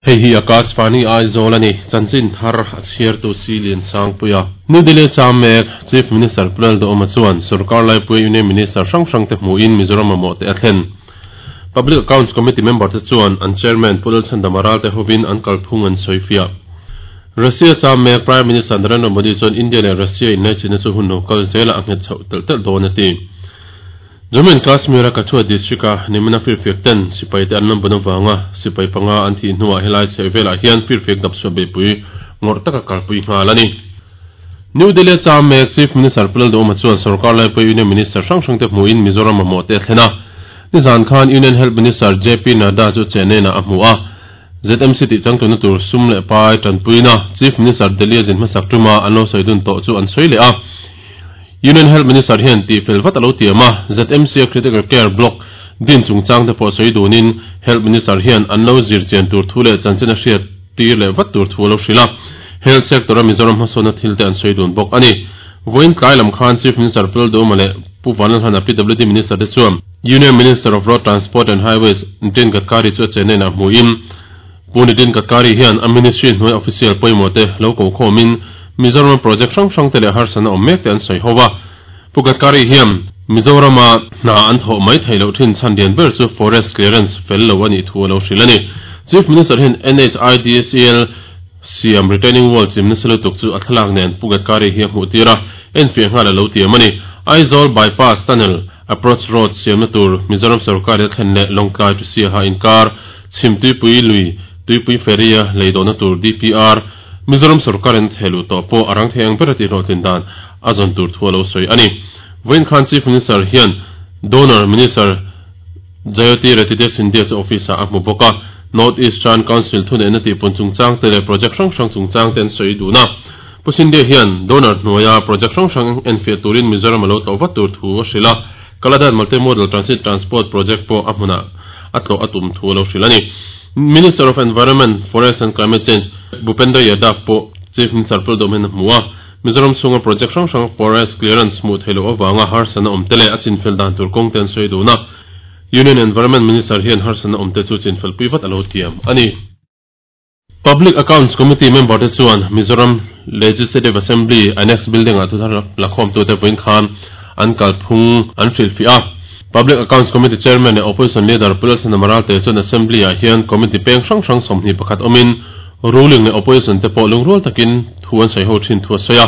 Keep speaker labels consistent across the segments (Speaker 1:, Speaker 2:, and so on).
Speaker 1: Hei hi Akashvani Aizawl a ni, chanchin thar a chhiartu Si Liansangpuia. New Delhi cham mek Chief Minister Pu Lalduhoma chuan sorkar laipuia Union Minister hrang hrangte hmuhin Mizoram mamawh te a thlen. Public Accounts Committee member te chuan an Chairman Pu Lalchhandama Ralte hovin an kalphung an sawifiah. Russia cham mek Prime Minister Narendra Modi chuan India leh Russia inlaichinna chu hun lo kal zelah a nghet chhoh telh telh dawn a ti. Jammu and Kashmir-a Kathua district-a nimina firfiak ten sipai te an lo bun avanga sipai panga an thih hnuah helai chheh velah hian firfiak dapchhuah beihpui ngawrh taka kalpui nghal a ni. New Delhi-a cham mek Chief Minister Pu Lalduhoma chuan sorkar laipui Union Minister hrang hrangte hmuhin Mizoram mamawh te a thlen a. Nizan khan Union Health Minister JP Nadda chu Chennai-ah a hmu a. ZMC tih changtuna tur sum leh pai tanpuina Chief Minister Delhi-a zin hmasak tuma an lo sawi dun tawh chu an sawi leh a. Union Health Minister hian tihfel vat a lo tiam a, ZMC-a Critical Care Block din chungchang te pawh sawi dunin Health Minister hian an lo zir chian tur thu leh chanchin a hriat tir leh vat tur thu a lo hrilh a, Health Sector-a Mizoram hmasawnna thil te an sawi dun bawk a ni. Vawiin tlai lam khan Chief Minister Pu Lalduhoma leh Pu Vanlalhana PWD Minister te chuan Union Minister of Road Transport and Highways Nitin Gadkari chu a Chennai-ah hmuhin Pu Nitin Gadkari hian a Ministry hnuai official pawimawh te lo ko khawmin Mizoram-a project hrang hrang te leh harsatna awm mek te an sawi ho a. Pu Gadkari hian Mizoram-a hna an thawh mai theih loh thin chhan lian ber chu forest clearance fel lo a nih thu a lo hrilh a ni. Chief Minister hian NHIDCL siam retaining wall chim nasa lutuk chu a thlalak nen Pu Gadkari hi a hmuh tir a, enfiah nghal a lo tiam a ni. Aizawl Bypass Tunnel Approach Road siamna tur Mizoram sorkar-in a thlen leh Lawngtlai to Siaha inkar Chhim Tuipui lui Tuipui Ferry-a lei dawhna tur DPR Mizoram sorkarin a theh luh tawh pawh a rang thei ang ber a tihhlawhtlin dan a zawn tur thu a lo sawi a ni. Vawiin khan Chief Minister hian Donor Minister Jayoti Ratidya Scindia chu office-ah a hmu bawk a, North Eastern Council thuneihna tihpun chungchang te leh project hrang hrang chungchang te an sawi dun a. Pu Scindia hian donor hnuaia project hrang hrang enfiah turin Mizoram a lo tlawh vat tur thu a hrilh a, Kaladan Multimodal Transit Transport Project pawh a hmunah a tlawh a tum thu a lo hrilh a ni. Minister of Environment, Forest and Climate Change Bhupendra Yadav pawh Chief Minister Pu Lalduhom hian a hmu a, Mizoram chhunga project hrang hrang forest clearance hmuh theih loh avanga harsatna awm te leh a chinfel dan tur kawng te an sawi dun a, Union Environment Minister hian harsatna awm te chu chinfel pui vat a lo tiam a ni. Public Accounts Committee member te chuan Mizoram Legislative Assembly Annex Building-ah thuthar lakhawmtute vawiin khan an kalphung an hrilhfiah a. Public Accounts Committee Chairman leh Opposition Leader Pu Lalsana Maralte chuan Assembly-ah hian Committee peng hrang hrang 21 awmin Ruling leh Opposition te pawh lungrual takin thu an sawi ho thin thu a sawi a.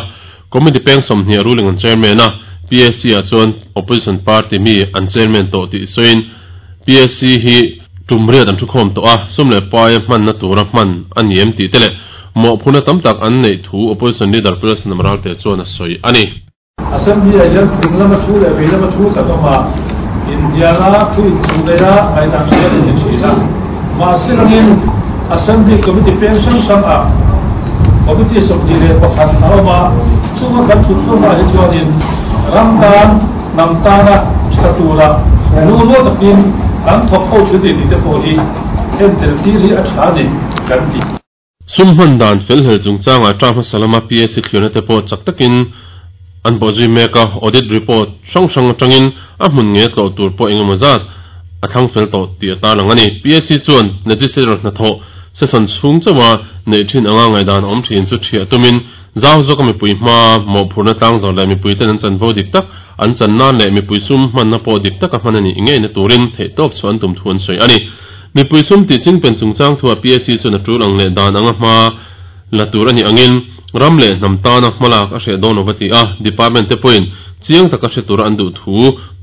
Speaker 1: Committee peng 20 a ruling an Chairman a, PAC-ah chuan Opposition Party mi an Chairman tawh tih sawiin PAC hi tum riat an thukhawm tawh a, sum leh paia hmanna tura hman a ni em tih te leh mawhphurhna tam tak an neih thu Opposition Leader Pu Lalsana Maralte chuan a sawi a ni.
Speaker 2: Assembly ah hian ding lama thu leh vei lama thu kan awm a, inhniala thu inchhuh daih a ngaihdan hian a ni thin a. Mahse langin Assembly Committee peng hrang hrang ah Committee 21 a awm a, chunga kan thut hlawmah hi chuanin ram tan, hnam tana tha tura lungrual takin kan thawk ho thin a ni tih te pawh hi entel tir hi a tha a ni kan ti.
Speaker 1: Sum hman dan fel hlel chungchangah term hmasa lama PAC thliarna te pawh chak takin an bawhzui mek a, audit report hrang hrang atangin a hmun nge tlawh tur pawh engemaw zat a thlang fel tawh tih a tarlang a ni. PAC chuan legislator hnathawh session chhung chauha neih thin anga ngaihdan awm thin chu thiah tumin zau zawka mipui hma mawhphurhna tlang zawh leh mipuiten an chanvo dik tak an chan nan leh mipui sum hmanna pawh dik taka hman a nih ngeina turin theihtawp chhuah an tum thu an sawi a ni. Mipui sum tih ching pen chungchang thuah PAC chuan a tul ang leh dan anga hma la tur a nih angin ram leh hnam tana hmalak a hreh dawn lo va ti a, department te pawhin chiang taka hre tura an duh thu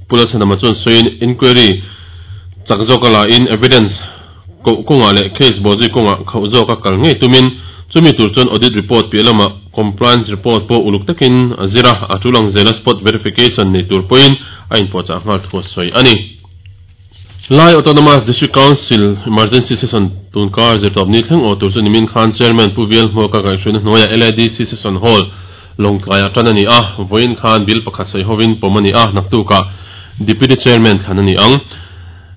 Speaker 1: Pu Lalchhanama chuan sawiin inquiry chak zawka lain evidence koh kawngah leh case bawhzui kawngah khauh zawka kal ngei tumin chumi tur chuan audit report piah lamah compliance report pawh uluk takin a zir a, a tul ang zela spot verification nei tur pawhin a inpuahchah nghal thu a sawi a ni. Lai Autonomous District Council Emergency Session tunkar zirtawp ni thleng aw tur chu nimin khan Chairman Pu Vial Hmuaka kaihhruaina hnuaiah LADC Session Hall Lawngtlaiah tan a ni a, vawiin khan Bill pakhat sawi hovin pawm a ni a, naktukah Deputy Chairman thlan a ni ang.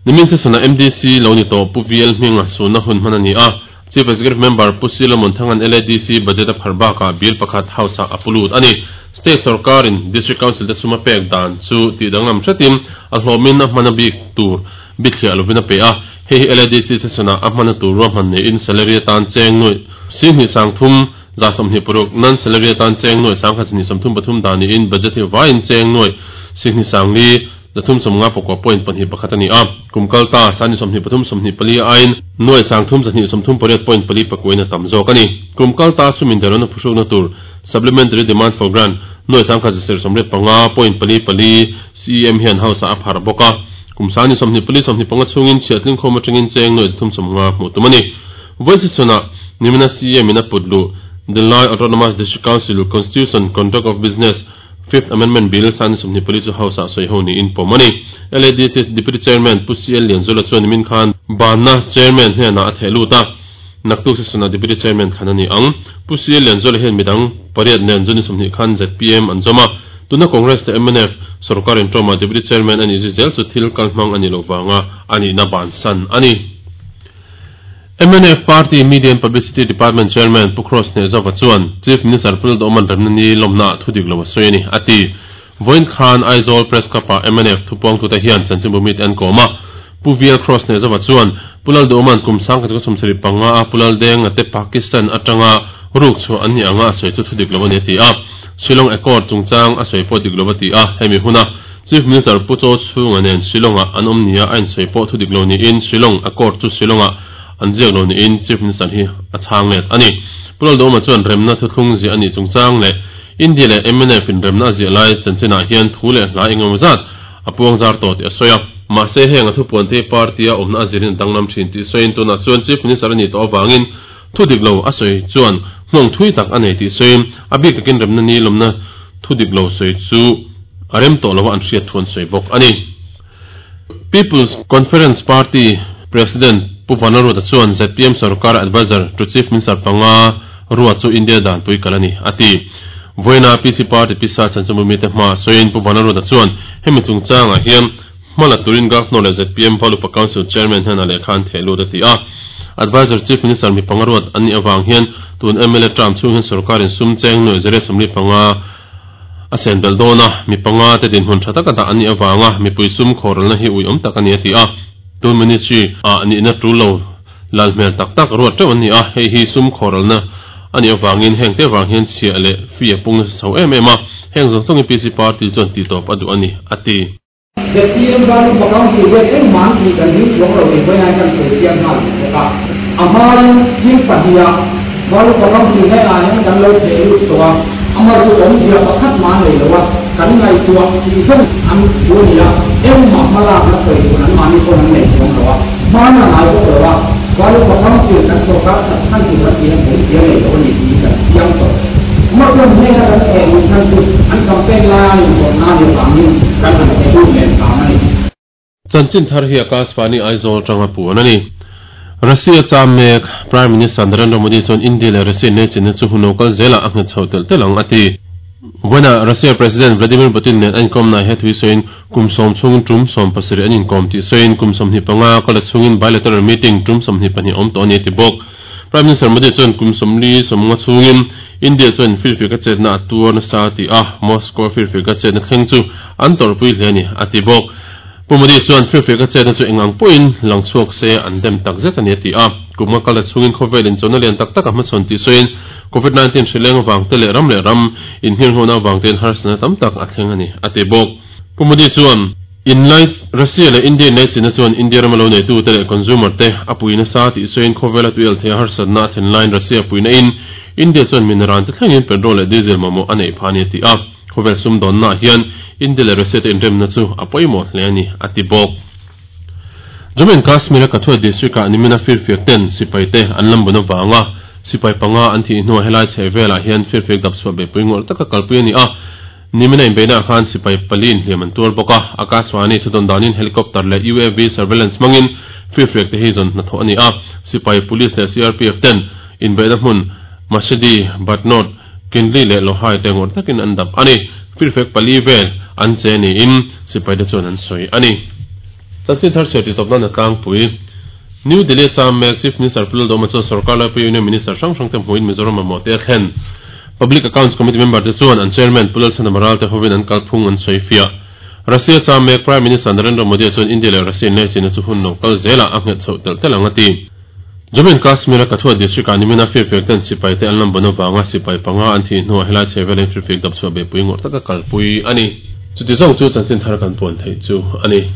Speaker 1: Nimin Session-ah MDC lo ni tawh Pu VL Hminga sunna hun hman a ni a, Chief Executive Member Pu Silomon Thangan LADC Budget a phar bakah Bill pakhat House-ah a pu lut a ni. State sorkarin District Council te sum a pek dan chu tih danglam hretin a hlawmin a hman a bik tur. bithliah lovin a pe a, hei hi LADC session-ah a hmana tur ruahman neiin salary atan cheng nuaih 10 sangthum za 26, non-salary atan cheng nuaih 10 233 dah niin budget hi vaiin cheng nuaih 10 sangli 350 pakua point pahnih pakhat a ni a, kum kal ta sani 23 24 aiin nuaih 3 238 point pali pakuain a tam zawk a ni. Kum kal ta sumin derona phuhrukna tur Supplementary Demand for Grant nuaih 1085 point pali pali CEM hian House-ah a pharh bawk a, kum sani 24 25 chhungin chhiahtling khawm atangin cheng nuaih 350 hmuh tum a ni. Vawiin session-ah nimina CEM in a put luh The Lai Autonomous District Council Constitution Conduct of Business Fifth Amendment Bill sani 24 chu House-ah sawi ho niin pawm a ni. LADC Deputy Chairman Pu CL Lianzula chuan nimin khan banna Chairman hnenah a theh lut a, naktuk session-ah Deputy Chairman thlan a ni ang. Pu CL Lianzula hian midang pariat nen June 20 khan zpm an zawm a, tuna Congress leh mnf sorkar intawmah Deputy Chairman a nih zui zel chu thil kalhmang a nih loh vanga a nihna bansan a ni. Mnf Party Media and Publicity Department Chairman Pu Cross Hnehzova chuan Chief Minister Pu Lalduhawman remna ni lawmnaah thu dik lo a sawi a ni, a ti. Vawiin khan Aizawl Press Club-ah mnf thupuangtute hian chanchinbu mite an kawm a. Pu VL Cross Hnehzova chuan Pu Lalduhawman kum 1975 a Pu Laldenga te Pakistan atanga ruk chhuah an nih anga a sawi chu thu dik lo a ni a ti a. Shillong Accord chungchang a sawi pawh dik lo a ti a, hemi huna Chief Minister Pu Chaw Chhunga nen Shillong-ah an awm nia a insawi pawh thu dik lo niin Shillong Accord chu Shillong-ah an ziak lo niin Chief Minister hi a chhang let a ni. Pu Lalduhoma chuan remna thuthlung ziah a nih chungchang leh India leh mnf in remna a ziah lai chanchinah hian thu leh hla engemaw zat a puang zar tawh tih a sawi a. Mahse heng a thupuan te party a awmna a zirin a danglam thin tih sawiin tunah chuan Chief Minister a nih tawh avangin thu dik lo a sawi chuan nghawng thui tak a nei tih sawiin a bik takin remna ni lawmna thu dik lo sawi chu a rem tawh lo a an hriat thu an sawi bawk a ni. People's Conference Party President Pu Vanaruta chuan zpm sorkar Adviser to Chief Minister panga ruat chu India danpui kal a ni, a ti. Vawiina PC Party pisa chanchinbu mite hma sawiin Pu Vanaruta chuan hemi chungchangah hian hma la turin Governor leh zpm Valupa Council Chairman hnenah lehkha an theh lut a ti a. Adviser Chief Minister mi panga ruat an nih avang hian tun mla term chhung hian sorkarin sum cheng nuaih zariat 45 A sen belh dawn a, mi panga te dinhmun tha taka dah an nih avanga mipui sum khawralna hi uiawm tak a ni a ti a. Tun ministry ah nihna tul lo lal hmel tak tak ruat teuh an ni a, hei hi sum khawralna a nih avangin heng te vang hian chhiah leh fee a pung nasa chho em em a, heng zawng zawngin PC party chuan tihtawp a duh a ni a ti.
Speaker 3: Zpm Valupa Council hian engmah an tih kan ding chuang lo tih vawiin kan sawi chiang nghal duh bawk a. A hmain thil pahniha Valupa Council hnenah hian kan lo theh lut tawh a, amah chu awmzia pakhat mah a nei lo a, kan ngaihtuah tih zawng an thu a ni a, engmah hmalakna sawi tur anmahni pawn an nei chuang lo a, hman a ngai bawk lo a, Valupa Council kan sorkar that chhan tur kan tih hian awmzia nei lo a ni tih kan chiang tawh. Amah chuan hnena kan theh luh chhan chu an campaign laia an inpawhna a nih avangin kan han theh lut leh hram a ni.
Speaker 1: Chanchin thar hi Akashvani Aizawl atanga puan a ni. Russia cham mek Prime Minister Narendra Modi chuan India leh Russia inneichinna chu hun lo kal zelah a nghet chho telh telh ang a ti. Vawiinah Russia President Vladimir Putin nen a inkawmna he thui sawiin kum sawm chhungin tum 17 an inkawm tih sawiin kum 25 kala chhungin bilateral meeting tum 22 awm tawh a ni a ti bawk. Prime Minister Modi chuan kum 40 sawmnga chhungin India chuan firfir ka chetna a tuar nasa a ti a, Moscow firfir ka chetna thleng chu an tawrhpui hle a ni a ti bawk. Pu Modi chuan firfir ka chetna chu engang pawhin lang chhuak se an dem tak zet a ni a ti a. Kum nga kal a chhungin khawvel inchawna lian tak tak a hmachhawn tih sawiin Covid 19 hrileng avang te leh ram leh ram inhirnghawna avang tein harsatna tam tak a thleng a ni a ti bawk. Pu Modi chuan Inlai Russia leh India inlaichinna chuan India rama lo neitute leh consumer te a pui nasa tih sawiin khawvela tuial theia harsatna a thlen laiin Russia puina in India chuan mineral te thlengin petrol leh diesel mamawh a neih phah a ni a ti a. Khawvel sumdawnnaah hian India leh Russia te inremna chu a pawimawh hle a ni a ti bawk. Jammu and Kashmir a Kathua district ah nimina firfiak ten sipai te an lambun avanga sipai panga an thih hnuah helai chhehvelah hian firfiak dapchhuah beihpui ngawrh taka kalpui a ni a. Nimina inbeihnaah khan sipai pali inhliam an tuar bawk a, Akashvani thudawn danin helicopter leh UAV surveillance hmangin firfiak te hi zawn hnathawh a ni a, sipai, police leh CRPF ten inbeihna hmun Masidi, Batnod, Kindli leh Lohai te ngawrh takin an dap a ni. Firfiak pali vel an che niin sipai te chuan an sawi a ni. Chanchin thar chhiar titawp nan a tlangpui. New Delhi a cham mek Chief Minister Pu Lalduhoma chuan sorkar laipui Union Minister hrang hrang te hmuhin Mizoram mamawh te a thlen. Public Accounts Committee member te chuan an Chairman Pu Lalchhanama Ralte hovin an kalphung an sawi fiah. Russia cham mek Prime Minister Narendra Modi chuan India leh Russia inlaichinna chu hun lo kal zelah a nghet chhoh telh telh ang a ti. Jammu and Kashmir a Kathua district ah nimina firfiak ten sipai te an lam ban avanga sipai panga an thih hnuah helai chhe velin firfiak dap chhuah beihpui ngawrh taka kalpui a ni. Chuti zawng chu chanchin thar kan puan theih chu a ni.